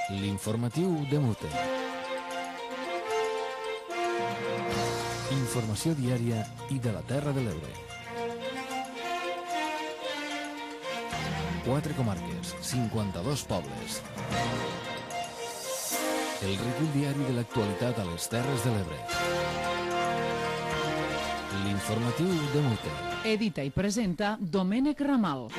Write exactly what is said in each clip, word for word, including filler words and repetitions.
L'informatiu de Mute. Informació diària i de la Terra de l'Ebre. Quatre comarques, cinquanta-dos pobles. El recull diari de l'actualitat a les Terres de l'Ebre. L'informatiu de Mute. Edita i presenta Domènec Ramal.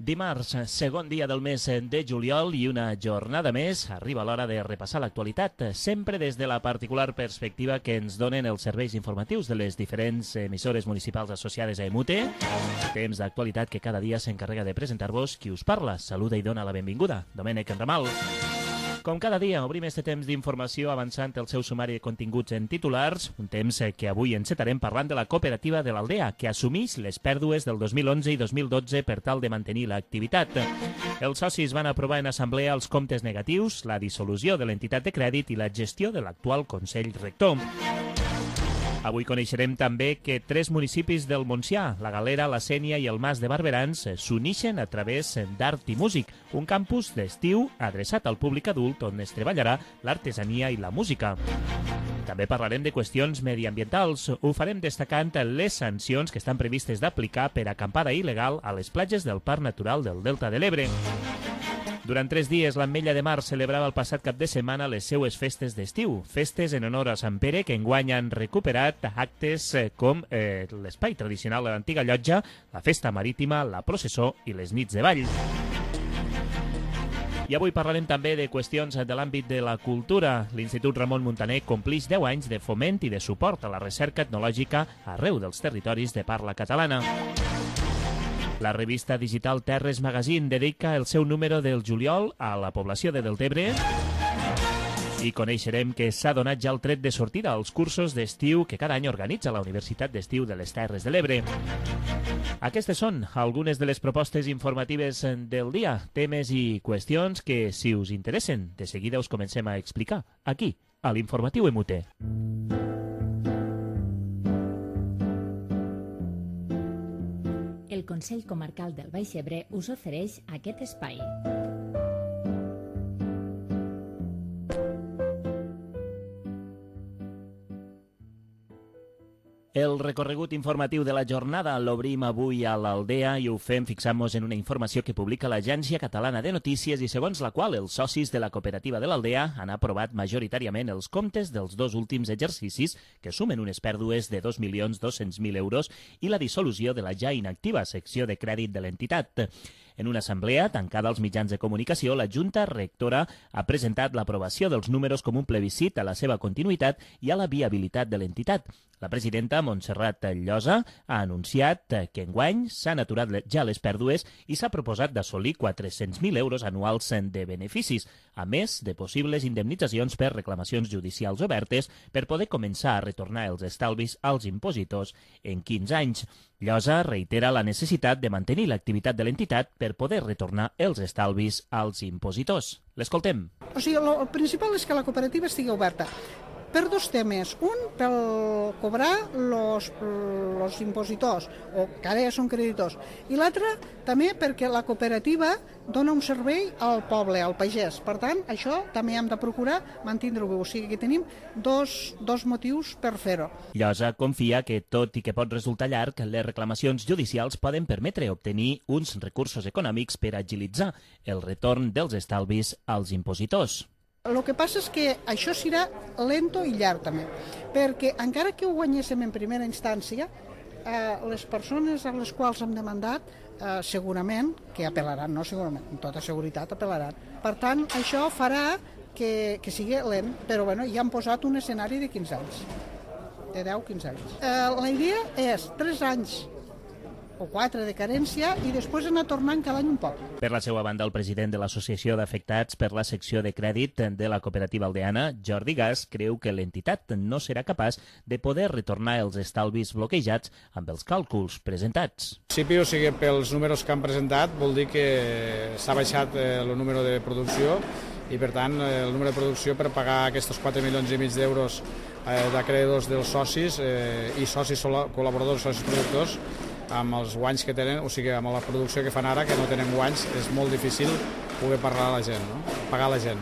Dimarts, segon dia del mes de juliol i una jornada més, arriba l'hora de repassar l'actualitat, sempre des de la particular perspectiva que ens donen els serveis informatius de les diferents emissores municipals associades a Emute. Temps d'actualitat que cada dia s'encarrega de presentar-vos qui us parla. Saluda i dona la benvinguda, Domènec Ramal. Com cada dia, obrim este temps d'informació avançant el seu sumari de continguts en titulars, un temps que avui encetarem parlant de la cooperativa de l'Aldea, que assumeix les pèrdues del dos mil onze i dos mil dotze per tal de mantenir l'activitat. Els socis van aprovar en assemblea els comptes negatius, la dissolució de l'entitat de crèdit i la gestió de l'actual Consell Rector. Avui coneixerem també que tres municipis del Montsià, la Galera, la Sénia i el Mas de Barberans, s'unixen a través d'Art i Músic, un campus d'estiu adreçat al públic adult on es treballarà l'artesania i la música. També parlarem de qüestions mediambientals. Ho farem destacant les sancions que estan previstes d'aplicar per acampada il·legal a les platges del Parc Natural del Delta de l'Ebre. Durant tres dies, l'Ametlla de Mar celebrava el passat cap de setmana les seues festes d'estiu. Festes en honor a Sant Pere que enguany han recuperat actes com eh, l'espai tradicional de l'antiga llotja, la festa marítima, la processó i les nits de ball. I avui parlarem també de qüestions de l'àmbit de la cultura. L'Institut Ramon Muntaner complix deu anys de foment i de suport a la recerca etnològica arreu dels territoris de parla catalana. La revista digital Terres Magazine dedica el seu número del juliol a la població de Deltebre i coneixerem que s'ha donat ja el tret de sortida als cursos d'estiu que cada any organitza la Universitat d'Estiu de les Terres de l'Ebre. Aquestes són algunes de les propostes informatives del dia, temes i qüestions que, si us interessen, de seguida us comencem a explicar aquí, a l'Informatiu Emute. El Consell Comarcal del Baix Ebre us ofereix aquest espai. El recorregut informatiu de la jornada l'obrim avui a l'Aldea i ho fem fixant-nos en una informació que publica l'Agència Catalana de Notícies i segons la qual els socis de la cooperativa de l'Aldea han aprovat majoritàriament els comptes dels dos últims exercicis que sumen unes pèrdues de dos milions dos-cents mil euros i la dissolució de la ja inactiva secció de crèdit de l'entitat. En una assemblea tancada als mitjans de comunicació, la Junta Rectora ha presentat l'aprovació dels números com un plebiscit a la seva continuïtat i a la viabilitat de l'entitat. La presidenta Montserrat Llosa ha anunciat que enguany s'han aturat ja les pèrdues i s'ha proposat d'assolir quatre-cents mil euros anuals de beneficis, a més de possibles indemnitzacions per reclamacions judicials obertes per poder començar a retornar els estalvis als impositors en quinze anys. Llosa reitera la necessitat de mantenir l'activitat de l'entitat per poder retornar els estalvis als impositors. L'escoltem. O sigui, el principal és que la cooperativa estigui oberta per dos temes. Un, per cobrar los, los impositors, o que ara ja són creditors. I l'altre, també perquè la cooperativa dona un servei al poble, al pagès. Per tant, això també hem de procurar mantindre-ho. O sigui que tenim dos, dos motius per fer-ho. Llosa confia que, tot i que pot resultar llarg, les reclamacions judicials poden permetre obtenir uns recursos econòmics per agilitzar el retorn dels estalvis als impositors. El que passa és que això serà lento i llarg també, perquè encara que ho guanyéssim en primera instància, eh, les persones a les quals hem demandat eh, segurament que apel·laran, no segurament, amb tota seguretat apel·laran. Per tant, això farà que, que sigui lent, però bueno, ja han posat un escenari de quinze anys, de deu a quinze anys. Eh, la idea és tres anys o quatre de carència i després anar tornant cada any un poc. Per la seva banda, el president de l'Associació d'Afectats per la secció de crèdit de la cooperativa aldeana, Jordi Gas, creu que l'entitat no serà capaç de poder retornar els estalvis bloquejats amb els càlculs presentats. En principi, o sigui, pels números que han presentat, vol dir que s'ha baixat el número de producció i, per tant, el número de producció per pagar aquests quatre milions i mig d'euros d'acreedors dels socis i socis col·laboradors, socis productors, amb els guanys que tenen, o sigui, amb la producció que fan ara, que no tenen guanys, és molt difícil poder parlar a la gent, no? Pagar a la gent.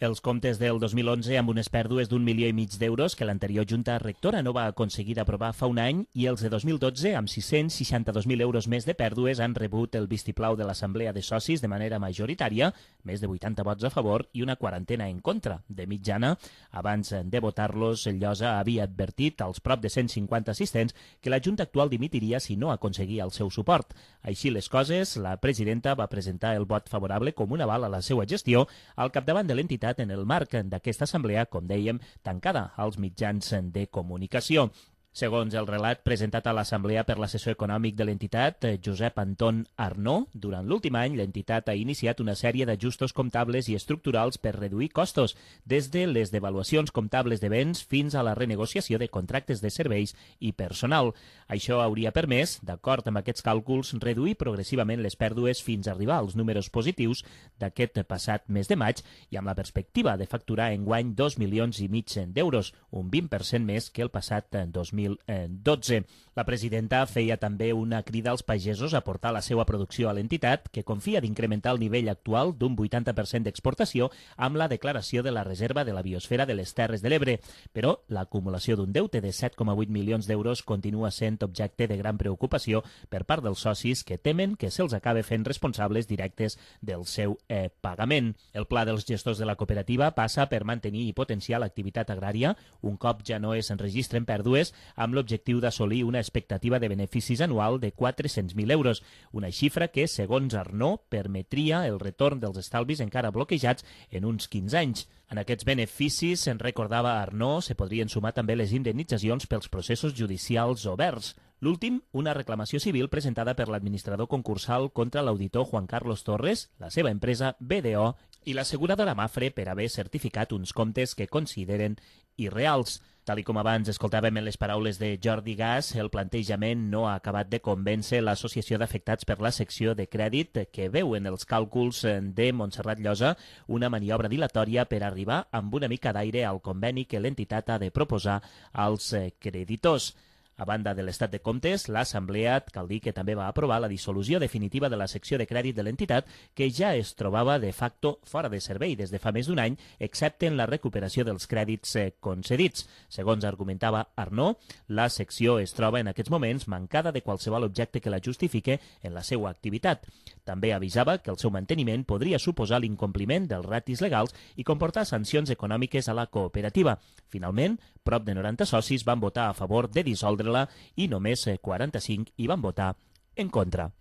Els comptes del dos mil onze amb unes pèrdues d'un milió i mig d'euros que l'anterior Junta Rectora no va aconseguir aprovar fa un any i els de dos mil dotze amb sis-cents seixanta-dos mil euros més de pèrdues han rebut el vistiplau de l'Assemblea de Socis de manera majoritària, més de vuitanta vots a favor i una quarantena en contra. De mitjana, abans de votar-los, el Llosa havia advertit als prop de cent cinquanta assistents que la Junta actual dimitiria si no aconseguia el seu suport. Així les coses, la presidenta va presentar el vot favorable com un aval a la seva gestió al capdavant de l'entitat en el marc d'aquesta assemblea, com dèiem, tancada als mitjans de comunicació. Segons el relat presentat a l'Assemblea per l'assessor econòmic de l'entitat, Josep Anton Arnó, durant l'últim any l'entitat ha iniciat una sèrie d'ajustos comptables i estructurals per reduir costos, des de les devaluacions comptables de béns fins a la renegociació de contractes de serveis i personal. Això hauria permès, d'acord amb aquests càlculs, reduir progressivament les pèrdues fins a arribar als números positius d'aquest passat mes de maig i amb la perspectiva de facturar enguany dos milions i mig d'euros, un vint per cent més que el passat dos mil dotze. La presidenta feia també una crida als pagesos a portar la seva producció a l'entitat, que confia d'incrementar el nivell actual d'un vuitanta per cent d'exportació amb la declaració de la reserva de la biosfera de les Terres de l'Ebre. Però l'acumulació d'un deute de set coma vuit milions d'euros continua sent objecte de gran preocupació per part dels socis que temen que se'ls acabe fent responsables directes del seu eh, pagament. El pla dels gestors de la cooperativa passa per mantenir i potenciar l'activitat agrària, un cop ja no es enregistren pèrdues, amb l'objectiu d'assolir una expectativa de beneficis anual de quatre-cents mil euros, una xifra que, segons Arnó, permetria el retorn dels estalvis encara bloquejats en uns quinze anys. En aquests beneficis, en recordava Arnó, se podrien sumar també les indemnitzacions pels processos judicials oberts. L'últim, una reclamació civil presentada per l'administrador concursal contra l'auditor Juan Carlos Torres, la seva empresa B D O i l'asseguradora Mafre per haver certificat uns comptes que consideren irreals. Tal i com abans escoltàvem en les paraules de Jordi Gas, el plantejament no ha acabat de convèncer l'Associació d'Afectats per la secció de crèdit, que veu en els càlculs de Montserrat Llosa una maniobra dilatòria per arribar amb una mica d'aire al conveni que l'entitat ha de proposar als creditors. A banda de l'estat de comptes, l'Assemblea, cal dir que també va aprovar la dissolució definitiva de la secció de crèdit de l'entitat, que ja es trobava de facto fora de servei des de fa més d'un any, excepte en la recuperació dels crèdits concedits. Segons argumentava Arnó, la secció es troba en aquests moments mancada de qualsevol objecte que la justifique en la seva activitat. També avisava que el seu manteniment podria suposar l'incompliment dels ratis legals i comportar sancions econòmiques a la cooperativa. Finalment, prop de noranta socis van votar a favor de dissoldre-la i només quaranta-cinc hi van votar en contra.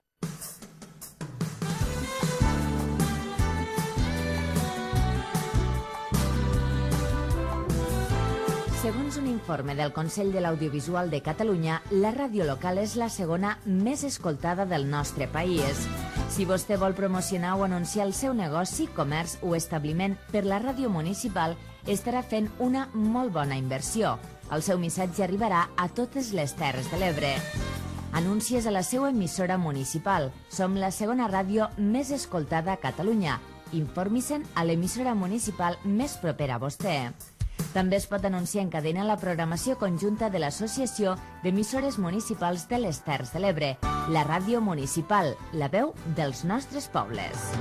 Segons un informe del Consell de l'Audiovisual de Catalunya, la ràdio local és la segona més escoltada del nostre país. Si vostè vol promocionar o anunciar el seu negoci, comerç o establiment per la ràdio municipal, estarà fent una molt bona inversió. El seu missatge arribarà a totes les Terres de l'Ebre. Anuncies a la seva emissora municipal. Som la segona ràdio més escoltada a Catalunya. Informi-se'n a l'emissora municipal més propera a vostè. També es pot anunciar en cadena la programació conjunta de l'Associació d'Emissores Municipals de les Terres de l'Ebre, la ràdio municipal, la veu dels nostres pobles.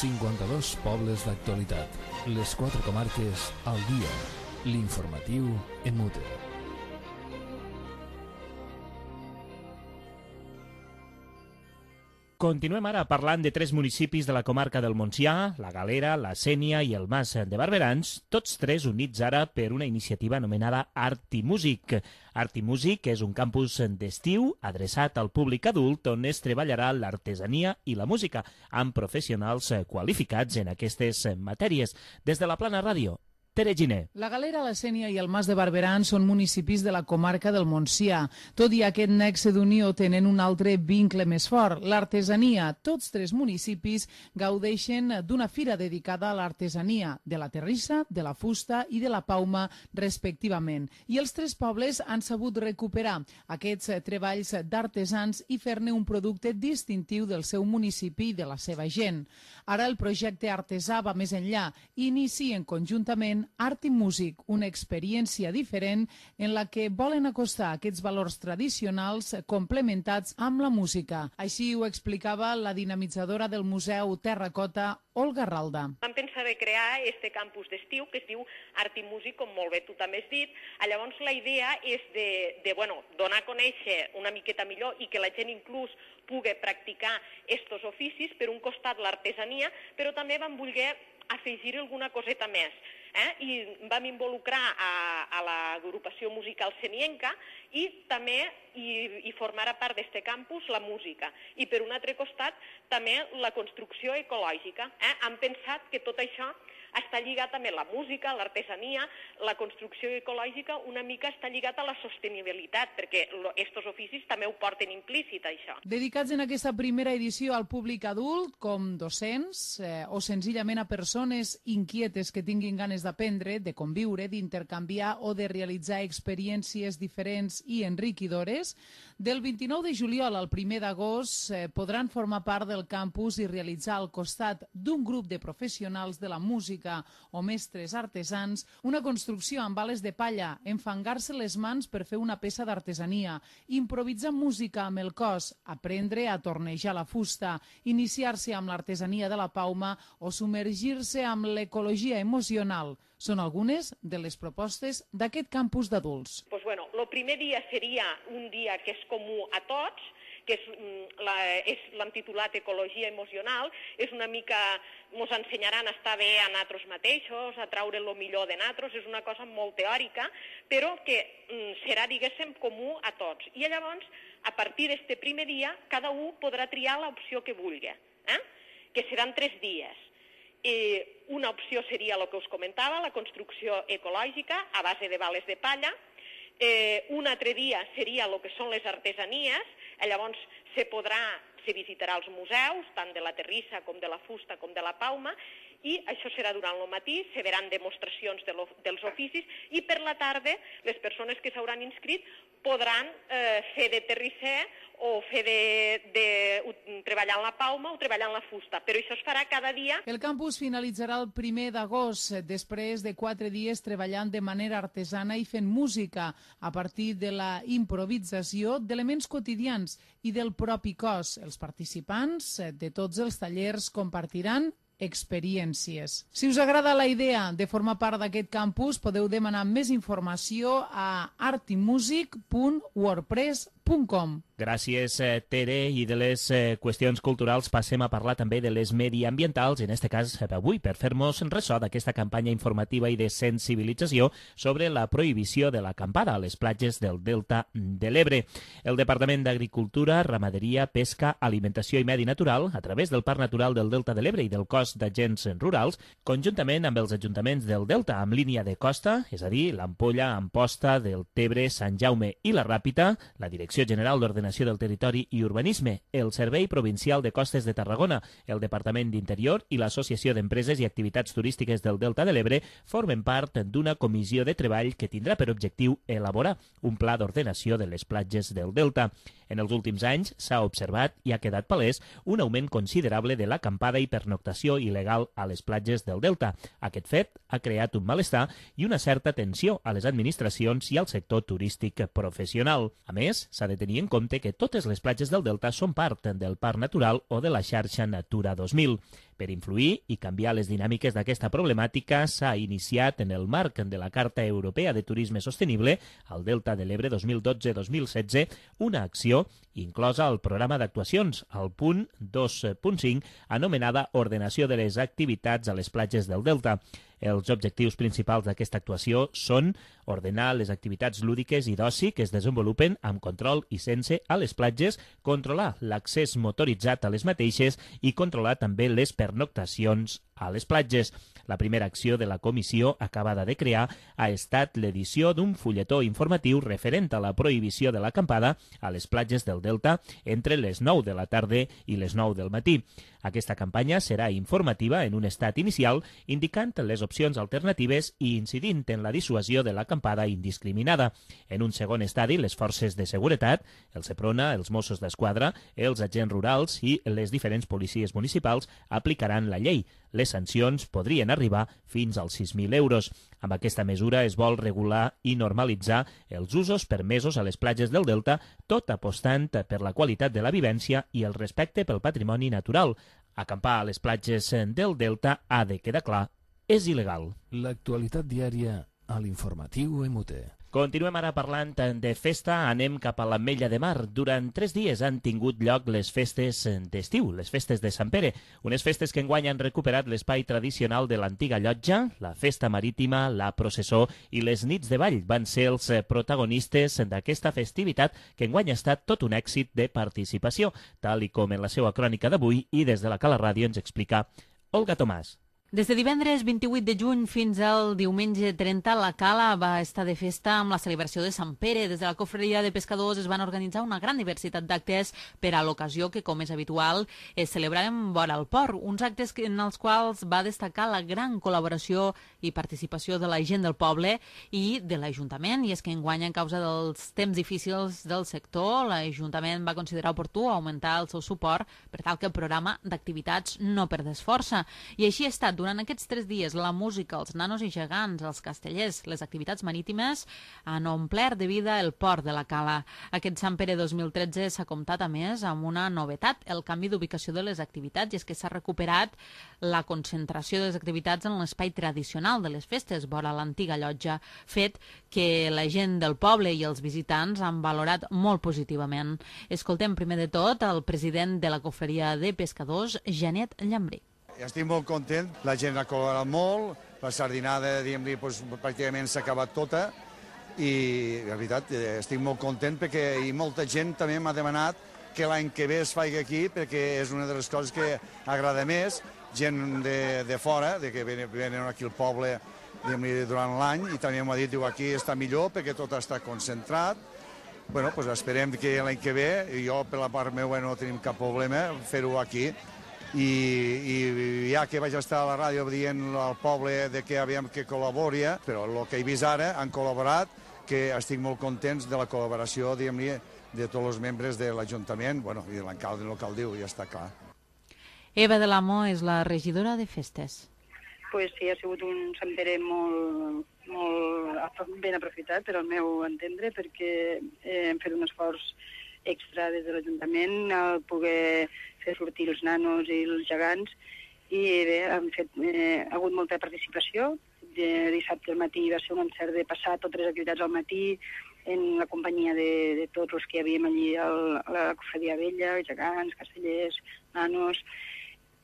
cinquanta-dos pobles d'actualitat. Les quatre comarques al dia. L'informatiu en mute. Continuem ara parlant de tres municipis de la comarca del Montsià, la Galera, la Sénia i el Mas de Barberans, tots tres units ara per una iniciativa anomenada Art i Músic. Art i Músic és un campus d'estiu adreçat al públic adult on es treballarà l'artesania i la música, amb professionals qualificats en aquestes matèries. Des de la Plana Ràdio, Tere Giner. La Galera, la Sénia i el Mas de Barberans són municipis de la comarca del Montsià. Tot i aquest nexe d'unió tenen un altre vincle més fort, l'artesania. Tots tres municipis gaudeixen d'una fira dedicada a l'artesania, de la terrissa, de la fusta i de la pauma, respectivament. I els tres pobles han sabut recuperar aquests treballs d'artesans i fer-ne un producte distintiu del seu municipi i de la seva gent. Ara el projecte artesà va més enllà i inicien conjuntament denominen Art i Músic, una experiència diferent en la que volen acostar aquests valors tradicionals complementats amb la música. Així ho explicava la dinamitzadora del Museu Terracota, Olga Ralda. Vam pensar de crear este campus d'estiu que es diu Art i Músic, com molt bé tu també has dit. Llavors la idea és de, de bueno, donar a conèixer una miqueta millor i que la gent inclús pugui practicar estos oficis, per un costat l'artesania, però també vam voler afegir alguna coseta més. Eh? I vam involucrar a, a l'agrupació musical senienca i també i, i formar part d'este campus la música. I per un altre costat també la construcció ecològica. Eh? Hem pensat que tot això està lligat també la música, l'artesania, la construcció ecològica, una mica està lligat a la sostenibilitat, perquè estos oficis també ho porten implícit, això. Dedicats en aquesta primera edició al públic adult, com docents eh, o senzillament a persones inquietes que tinguin ganes d'aprendre, de conviure, d'intercanviar o de realitzar experiències diferents i enriquidores, del vint-i-nou de juliol al primer d'agost eh, podran formar part del campus i realitzar al costat d'un grup de professionals de la música o mestres artesans, una construcció amb bales de palla, enfangar-se les mans per fer una peça d'artesania, improvisar música amb el cos, aprendre a tornejar la fusta, iniciar-se amb l'artesania de la pauma o submergir-se amb l'ecologia emocional. Són algunes de les propostes d'aquest campus d'adults. Pues bueno, el primer dia seria un dia que és comú a tots, que l'hem titulat Ecologia Emocional. És una mica, ens ensenyaran a estar bé a nosaltres mateixos, a traure el millor de nosaltres, és una cosa molt teòrica, però que mm, serà, diguéssim, comú a tots. I llavors, a partir d'aquest primer dia, cada un podrà triar l'opció que vulgui, eh? que seran tres dies. Eh, una opció seria el que us comentava, la construcció ecològica a base de bales de palla. Eh, un altre dia seria el que són les artesanies, llavors se podrà, se visitarà els museus, tant de la terrissa com de la fusta com de la pauma, i això serà durant el matí, se veran demostracions de lo, dels oficis, i per la tarda les persones que s'hauran inscrit podran eh, fer de terrisser o fer de, de, de treballar en la pauma o treballar en la fusta, però això es farà cada dia. El campus finalitzarà el primer d'agost, després de quatre dies treballant de manera artesana i fent música a partir de la improvisació d'elements quotidians i del propi cos. Els participants de tots els tallers compartiran experiències. Si us agrada la idea de formar part d'aquest campus, podeu demanar més informació a artimusic punt wordpress punt com. Gràcies, Tere. I de les eh, qüestions culturals passem a parlar també de les mediambientals, en este cas avui, per fer-nos ressò d'aquesta campanya informativa i de sensibilització sobre la prohibició de l'acampada a les platges del Delta de l'Ebre. El Departament d'Agricultura, Ramaderia, Pesca, Alimentació i Medi Natural, a través del Parc Natural del Delta de l'Ebre i del Cos d'Agents Rurals, conjuntament amb els ajuntaments del Delta amb línia de costa, és a dir, l'Ampolla, Amposta, del Tebre, Sant Jaume i la Ràpita, la Direcció General d'Ordenació del Territori i Urbanisme, el Servei Provincial de Costes de Tarragona, el Departament d'Interior i l'Associació d'Empreses i Activitats Turístiques del Delta de l'Ebre formen part d'una comissió de treball que tindrà per objectiu elaborar un pla d'ordenació de les platges del Delta. En els últims anys s'ha observat i ha quedat palès un augment considerable de l'acampada i pernoctació il·legal a les platges del Delta. Aquest fet ha creat un malestar i una certa tensió a les administracions i al sector turístic professional. A més, s'ha de tenir en compte que totes les platges del Delta són part del Parc Natural o de la xarxa Natura dos mil. Per influir i canviar les dinàmiques d'aquesta problemàtica, s'ha iniciat en el marc de la Carta Europea de Turisme Sostenible, al Delta de l'Ebre dos mil dotze dos mil setze, una acció inclosa al programa d'actuacions, al punt dos punt cinc, anomenada Ordenació de les activitats a les platges del Delta. Els objectius principals d'aquesta actuació són ordenar les activitats lúdiques i d'oci que es desenvolupen amb control i sense a les platges, controlar l'accés motoritzat a les mateixes i controlar també les pernoctacions a les platges. La primera acció de la comissió acabada de crear ha estat l'edició d'un fulletó informatiu referent a la prohibició de l'acampada a les platges del Delta entre les nou de la tarda i les nou del matí. Aquesta campanya serà informativa en un estat inicial, indicant les opcions alternatives i incidint en la dissuasió de l'acampada indiscriminada. En un segon estadi, les forces de seguretat, el Seprona, els Mossos d'Esquadra, els agents rurals i les diferents policies municipals aplicaran la llei. Les sancions podrien arribar fins als sis mil euros. Amb aquesta mesura es vol regular i normalitzar els usos permesos a les platges del Delta, tot apostant per la qualitat de la vivència i el respecte pel patrimoni natural. Acampar a les platges del Delta, ha de quedar clar, és il·legal. L'actualitat diària a l'informatiu M T. Continuem ara parlant de festa, anem cap a l'Ametlla de Mar. Durant tres dies han tingut lloc les festes d'estiu, les festes de Sant Pere, unes festes que enguany han recuperat l'espai tradicional de l'antiga llotja, la festa marítima, la processó i les nits de ball van ser els protagonistes d'aquesta festivitat que enguany ha estat tot un èxit de participació, tal i com en la seva crònica d'avui i des de la Cala Ràdio ens explica Olga Tomàs. Des de divendres vint-i-vuit de juny fins al diumenge trenta, la Cala va estar de festa amb la celebració de Sant Pere. Des de la Cofreria de Pescadors es van organitzar una gran diversitat d'actes per a l'ocasió que, com és habitual, es celebraven vora el port. Uns actes en els quals va destacar la gran col·laboració i participació de la gent del poble i de l'Ajuntament. I és que enguany, a causa dels temps difícils del sector, l'Ajuntament va considerar oportú augmentar el seu suport per tal que el programa d'activitats no perdés força. I així ha estat. Durant aquests tres dies, la música, els nanos i gegants, els castellers, les activitats marítimes han omplert de vida el port de la Cala. Aquest Sant Pere dos mil tretze s'ha comptat, a més, amb una novetat, el canvi d'ubicació de les activitats, i és que s'ha recuperat la concentració de les activitats en l'espai tradicional de les festes, vora l'antiga llotja, fet que la gent del poble i els visitants han valorat molt positivament. Escoltem primer de tot el president de la Cofreria de Pescadors, Janet Llambrí. Estic molt content, la gent ha col·laborat molt, la sardinada, diguem-li, doncs, pràcticament s'ha acabat tota i, la veritat, estic molt content perquè i molta gent també m'ha demanat que l'any que ve es faci aquí perquè és una de les coses que agrada més, gent de, de fora, de que venen, venen aquí al poble durant l'any i també m'ha dit, diu, aquí està millor perquè tot està concentrat. Bueno, doncs esperem que l'any que ve, i jo per la part meva no tenim cap problema, fer-ho aquí. I, i ja que vaig estar a la ràdio dient al poble de que havíem que col·labori, però el que he vist ara han col·laborat, que estic molt contents de la col·laboració, diguem-li, de tots els membres de l'Ajuntament, bueno, i de l'alcalde local diu, ja està clar. Eva de l'Amo és la regidora de festes. Pues sí, ha sigut un Sant Pere molt, molt ben aprofitat, per al meu entendre, perquè hem fet un esforç extra des de l'Ajuntament al poder fer sortir els nanos i els gegants i bé, han fet, eh, ha hagut molta participació. De dissabte al matí va ser un encert de passar totes les activitats al matí en la companyia de, de tots els que hi havíem allí al, a la Cofredia Vella, gegants, castellers, nanos,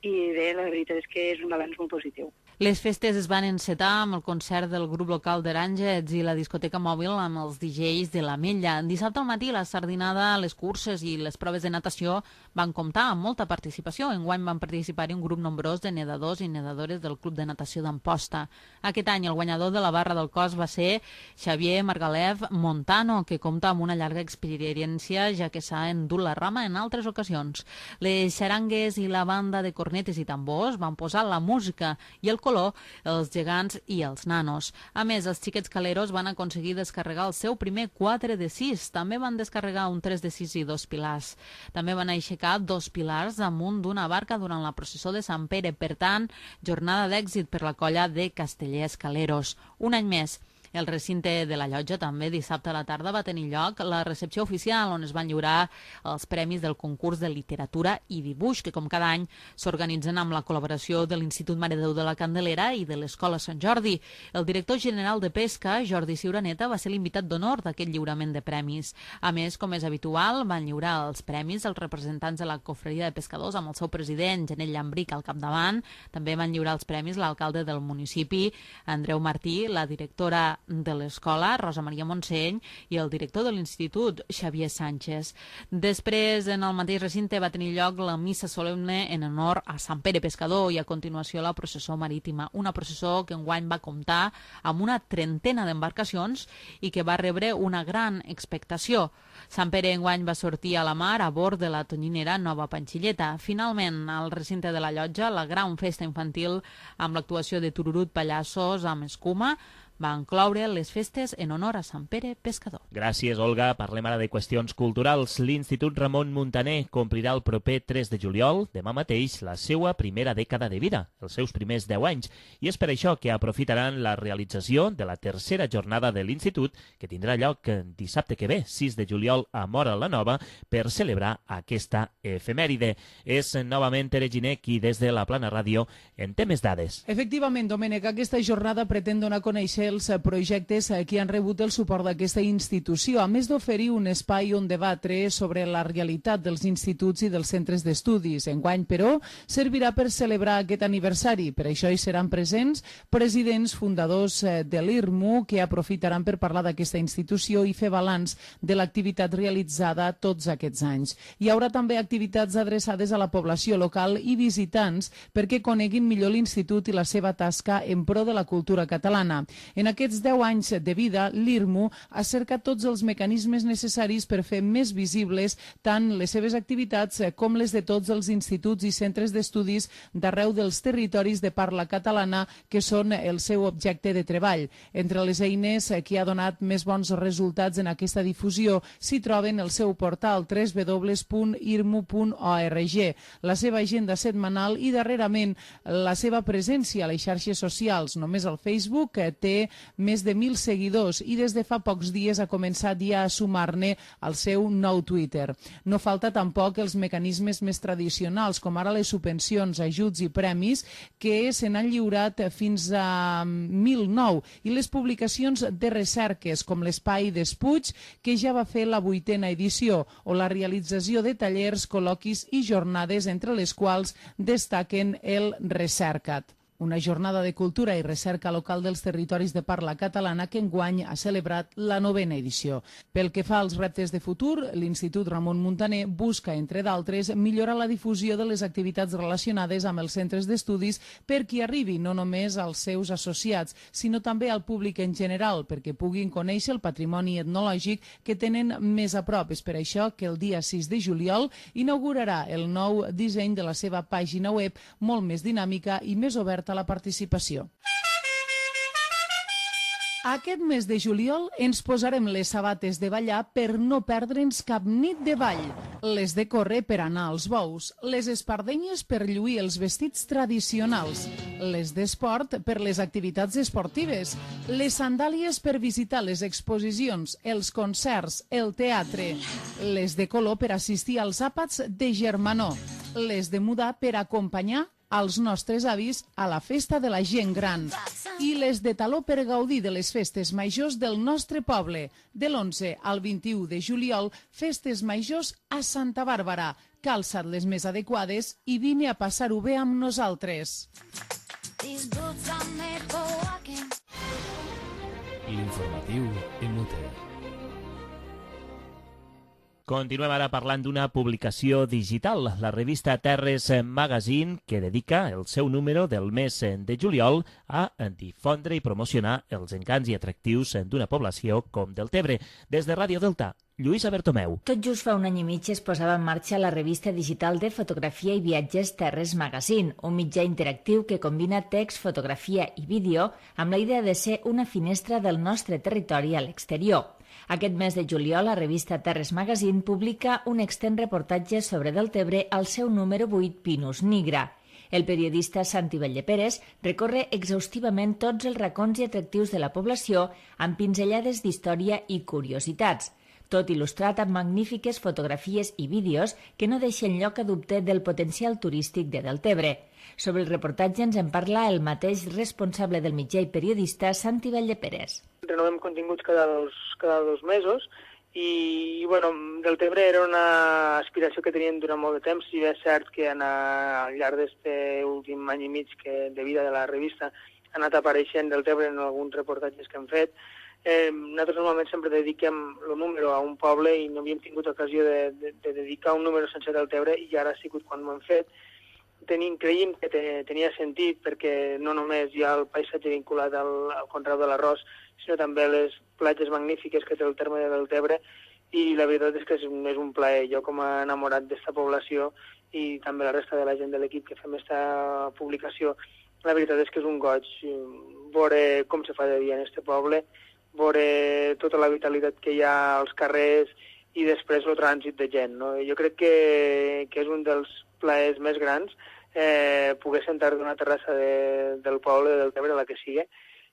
i bé, la veritat és que és un balanç molt positiu. Les festes es van encetar amb el concert del grup local d'Aràngets i la discoteca mòbil amb els D Js de l'Ametlla. Dissabte al matí la sardinada, les curses i les proves de natació van comptar amb molta participació. Enguany van participar-hi un grup nombrós de nedadors i nedadores del Club de Natació d'Amposta. Aquest any el guanyador de la barra del cos va ser Xavier Margalef Montano, que compta amb una llarga experiència ja que s'ha endut la rama en altres ocasions. Les xarangues i la banda de cornetes i tambors van posar la música i el color, els gegants i els nanos. A més, els xiquets caleros van aconseguir descarregar el seu primer quatre de sis. També van descarregar un tres de sis i dos pilars. També van aixecar dos pilars damunt d'una barca durant la processó de Sant Pere. Per tant, jornada d'èxit per la colla de castellers caleros. Un any més. El recinte de la llotja també dissabte a la tarda va tenir lloc la recepció oficial on es van lliurar els premis del concurs de literatura i dibuix que com cada any s'organitzen amb la col·laboració de l'Institut Mare de Déu de la Candelera i de l'Escola Sant Jordi. El director general de Pesca, Jordi Ciuraneta, va ser l'invitat d'honor d'aquest lliurament de premis. A més, com és habitual, van lliurar els premis els representants de la Cofreria de Pescadors amb el seu president, Janet Llambric, al capdavant. També van lliurar els premis l'alcalde del municipi, Andreu Martí, la directora de l'escola, Rosa Maria Montseny, i el director de l'institut, Xavier Sánchez. Després, en el mateix recinte, va tenir lloc la missa solemne en honor a Sant Pere Pescador i a continuació la processó marítima. Una processó que enguany va comptar amb una trentena d'embarcacions i que va rebre una gran expectació. Sant Pere enguany va sortir a la mar a bord de la tonyinera Nova Panxilleta. Finalment, al recinte de la llotja, la gran festa infantil amb l'actuació de Tururut Pallassos amb escuma va incloure les festes en honor a Sant Pere Pescador. Gràcies, Olga. Parlem ara de qüestions culturals. L'Institut Ramon Muntaner complirà el proper tres de juliol, demà mateix, la seva primera dècada de vida, els seus primers deu anys, i és per això que aprofitaran la realització de la tercera jornada de l'Institut, que tindrà lloc dissabte que ve, sis de juliol, a Móra la Nova, per celebrar aquesta efemèride. És novament Tere Giner qui, des de la Plana Ràdio, en té més dades. Efectivament, Domènec, aquesta jornada pretén donar a conèixer els projectes que han rebut el suport d'aquesta institució, a més d'oferir un espai on debatre sobre la realitat dels instituts i dels centres d'estudis. Enguany, però, servirà per celebrar aquest aniversari. Per això hi seran presents presidents fundadors de l'I R M U que aprofitaran per parlar d'aquesta institució i fer balanç de l'activitat realitzada tots aquests anys. Hi haurà també activitats adreçades a la població local i visitants perquè coneguin millor l'institut i la seva tasca en pro de la cultura catalana. En aquests deu anys de vida, l'I R M U ha cercat tots els mecanismes necessaris per fer més visibles tant les seves activitats com les de tots els instituts i centres d'estudis d'arreu dels territoris de parla catalana que són el seu objecte de treball. Entre les eines que ha donat més bons resultats en aquesta difusió s'hi troben el seu portal w w w punt i r m u punt org, la seva agenda setmanal i darrerament la seva presència a les xarxes socials. Només el Facebook té més de mil seguidors i des de fa pocs dies ha començat ja a sumar-ne al seu nou Twitter. No falta tampoc els mecanismes més tradicionals, com ara les subvencions, ajuts i premis, que se n'han lliurat fins a mil nou, i les publicacions de recerques, com l'Espai d'Espuig, que ja va fer la vuitena edició, o la realització de tallers, col·loquis i jornades, entre les quals destaquen el Recerca't, una jornada de cultura i recerca local dels territoris de parla catalana que enguany ha celebrat la novena edició. Pel que fa als reptes de futur, l'Institut Ramon Muntaner busca, entre d'altres, millorar la difusió de les activitats relacionades amb els centres d'estudis perquè arribi no només als seus associats, sinó també al públic en general, perquè puguin conèixer el patrimoni etnològic que tenen més a prop. És per això que el dia sis de juliol inaugurarà el nou disseny de la seva pàgina web, molt més dinàmica i més oberta a la participació. Aquest mes de juliol ens posarem les sabates de ballar per no perdre'ns cap nit de ball, les de córrer per anar als bous, les espardenyes per lluir els vestits tradicionals, les d'esport per les activitats esportives, les sandàlies per visitar les exposicions, els concerts, el teatre, les de color per assistir als àpats de germanor, les de mudar per acompanyar als nostres avis a la festa de la gent gran i les de taló per gaudir de les festes majors del nostre poble. De l'onze al vint-i-u de juliol, festes majors a Santa Bàrbara. Calça't les més adequades i vine a passar-ho bé amb nosaltres. L'informatiu en Mute. Continuem ara parlant d'una publicació digital, la revista Terres Magazine, que dedica el seu número del mes de juliol a difondre i promocionar els encants i atractius d'una població com Deltebre. Des de Ràdio Delta, Lluïsa Bertomeu. Tot just fa un any i mig es posava en marxa la revista digital de fotografia i viatges Terres Magazine, un mitjà interactiu que combina text, fotografia i vídeo amb la idea de ser una finestra del nostre territori a l'exterior. Aquest mes de juliol, la revista Terres Magazine publica un extens reportatge sobre Deltebre al seu número vuit, Pinus Nigra. El periodista Santi Belleperes recorre exhaustivament tots els racons i atractius de la població amb pinzellades d'història i curiositats, tot il·lustrat amb magnífiques fotografies i vídeos que no deixen lloc a dubte del potencial turístic de Deltebre. Sobre el reportatge ens en parla el mateix responsable del mitjà i periodista, Santi Belleperes. Renovem continguts cada dos, cada dos mesos i, bueno, Deltebre era una aspiració que teníem durant molt de temps, i és cert que en, al llarg d'aquest últim any i mig que, de vida de la revista ha anat apareixent Deltebre en alguns reportatges que hem fet. Eh, nosaltres normalment sempre dediquem el número a un poble i no havíem tingut ocasió de, de, de dedicar un número sense Deltebre, i ara ha sigut quan ho hem fet. Tenim, creiem que te, tenia sentit perquè no només hi ha el paisatge vinculat al, al conreu de l'arròs, sinó també les platges magnífiques que té el terme de Deltebre, i la veritat és que és un, és un plaer. Jo, com a enamorat d'esta població, i també la resta de la gent de l'equip que fem aquesta publicació, la veritat és que és un goig veure com se fa de dia en este poble, veure tota la vitalitat que hi ha als carrers i després el trànsit de gent, no? Jo crec que, que és un dels plaers més grans eh, poder sentar d'una terrassa de, del poble, del Tebre, la que sigui,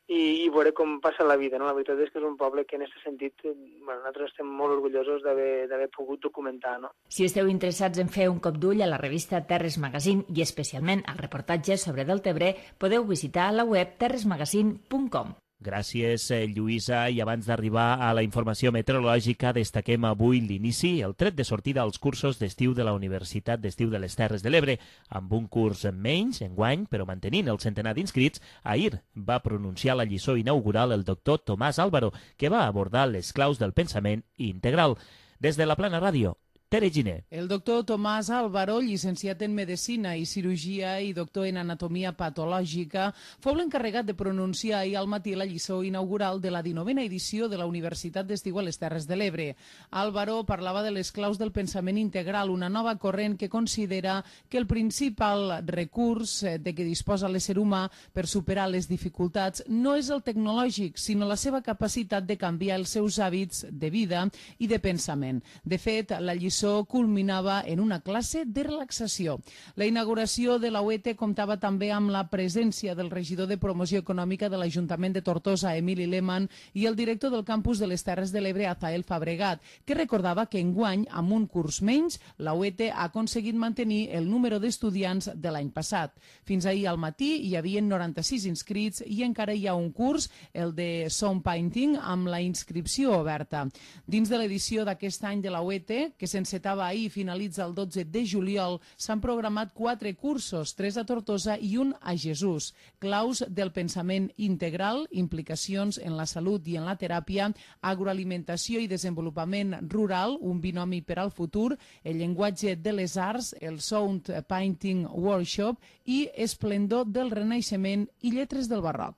i, i veure com passa la vida, no? La veritat és que és un poble que en aquest sentit, bueno, nosaltres estem molt orgullosos d'haver pogut documentar, no? Si esteu interessats en fer un cop d'ull a la revista Terres Magazine i especialment al reportatge sobre Deltebre, podeu visitar la web terres magazine punt com. Gràcies, Lluïsa. I abans d'arribar a la informació meteorològica, destaquem avui l'inici, el tret de sortida als cursos d'estiu de la Universitat d'Estiu de les Terres de l'Ebre. Amb un curs menys, enguany, però mantenint el centenar d'inscrits, ahir va pronunciar la lliçó inaugural el doctor Tomàs Álvaro, que va abordar les claus del pensament integral. Des de la Plana Ràdio, Tere Giner. El doctor Tomàs Álvaro, llicenciat en Medicina i Cirurgia i doctor en Anatomia Patològica, fou l'encarregat de pronunciar ahir al matí la lliçó inaugural de la dinovena edició de la Universitat d'Estiu a les Terres de l'Ebre. Álvaro parlava de les claus del pensament integral, una nova corrent que considera que el principal recurs de què disposa l'ésser humà per superar les dificultats no és el tecnològic, sinó la seva capacitat de canviar els seus hàbits de vida i de pensament. De fet, la lliçó culminava en una classe de relaxació. La inauguració de la U E T comptava també amb la presència del regidor de Promoció Econòmica de l'Ajuntament de Tortosa, Emili Lehmann, i el director del campus de les Terres de l'Ebre, Azael Fabregat, que recordava que enguany, amb un curs menys, la U E T ha aconseguit mantenir el número d'estudiants de l'any passat. Fins ahir al matí hi havia noranta-sis inscrits i encara hi ha un curs, el de Sound Painting, amb la inscripció oberta. Dins de l'edició d'aquest any de la U E T, que sense s'encetava ahir i finalitza el dotze de juliol, s'han programat quatre cursos, tres a Tortosa i un a Jesús. Claus del pensament integral, implicacions en la salut i en la teràpia, agroalimentació i desenvolupament rural, un binomi per al futur, el llenguatge de les arts, el Sound Painting Workshop i esplendor del Renaixement i lletres del barroc.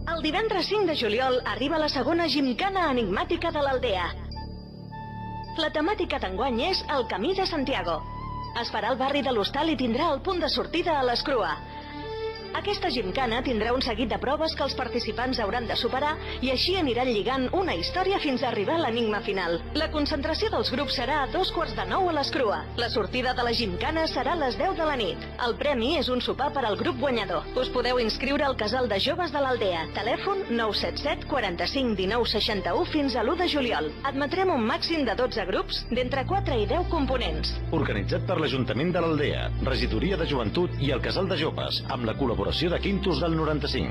El divendres cinc de juliol arriba la segona gimcana enigmàtica de l'Aldea. La temàtica d'enguany és el Camí de Santiago. Es farà al barri de l'Hostal i tindrà el punt de sortida a l'Escrua. Aquesta gimcana tindrà un seguit de proves que els participants hauran de superar i així aniran lligant una història fins a arribar a l'enigma final. La concentració dels grups serà a dos quarts de nou a l'Escrua. La sortida de la gimcana serà a les deu de la nit. El premi és un sopar per al grup guanyador. Us podeu inscriure al Casal de Joves de l'Aldea. Telèfon nou set set quaranta-cinc dinou seixanta-u fins a l'u de juliol. Admetrem un màxim de dotze grups d'entre quatre i deu components. Organitzat per l'Ajuntament de l'Aldea, Regidoria de Joventut i el Casal de Joves, amb la col·laboració de Quintos del noranta-cinc.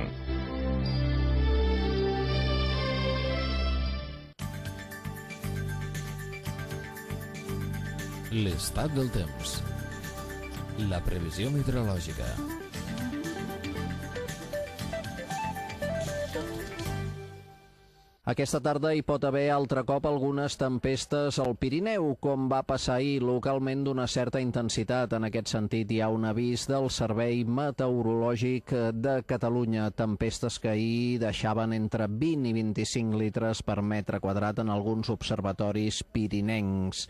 L'estat del temps. La previsió meteorològica. Aquesta tarda hi pot haver altre cop algunes tempestes al Pirineu, com va passar ahir, localment d'una certa intensitat. En aquest sentit, hi ha un avís del Servei Meteorològic de Catalunya. Tempestes que ahir deixaven entre vint i vint-i-cinc litres per metre quadrat en alguns observatoris pirinencs.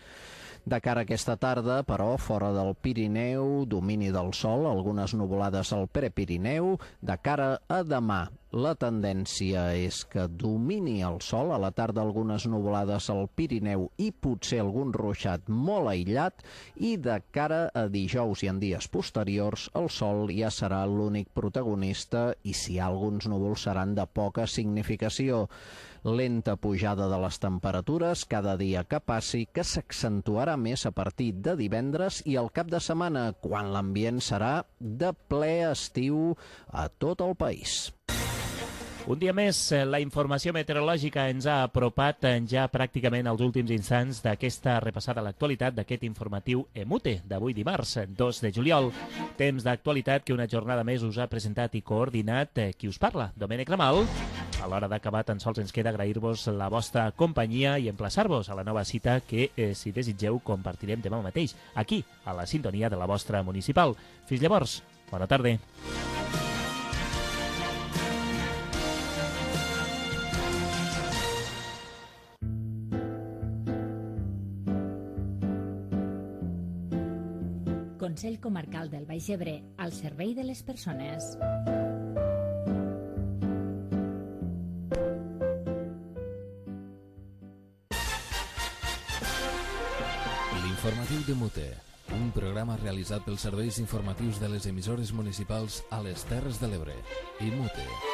De cara a aquesta tarda, però, fora del Pirineu, domini del sol, algunes nuvolades al Prepirineu. De cara a demà, la tendència és que domini el sol, a la tarda algunes nuvolades al Pirineu i potser algun ruixat molt aïllat, i de cara a dijous i en dies posteriors el sol ja serà l'únic protagonista i si hi ha alguns núvols seran de poca significació. Lenta pujada de les temperatures cada dia que passi, que s'accentuarà més a partir de divendres i al cap de setmana, quan l'ambient serà de ple estiu a tot el país. Un dia més, la informació meteorològica ens ha apropat ja pràcticament als últims instants d'aquesta repassada a l'actualitat d'aquest informatiu EMUTE d'avui dimarts, dos de juliol. Temps d'actualitat que una jornada més us ha presentat i coordinat qui us parla, Domènec Ramal. A l'hora d'acabar tan sols ens queda agrair-vos la vostra companyia i emplaçar-vos a la nova cita que, eh, si desitgeu, compartirem demà mateix, aquí, a la sintonia de la vostra municipal. Fins llavors, bona tarda. Consell Comarcal del Baix Ebre, al servei de les persones. L'informatiu de Mute, un programa realitzat pels serveis informatius de les emissores municipals a les Terres de l'Ebre i Mute.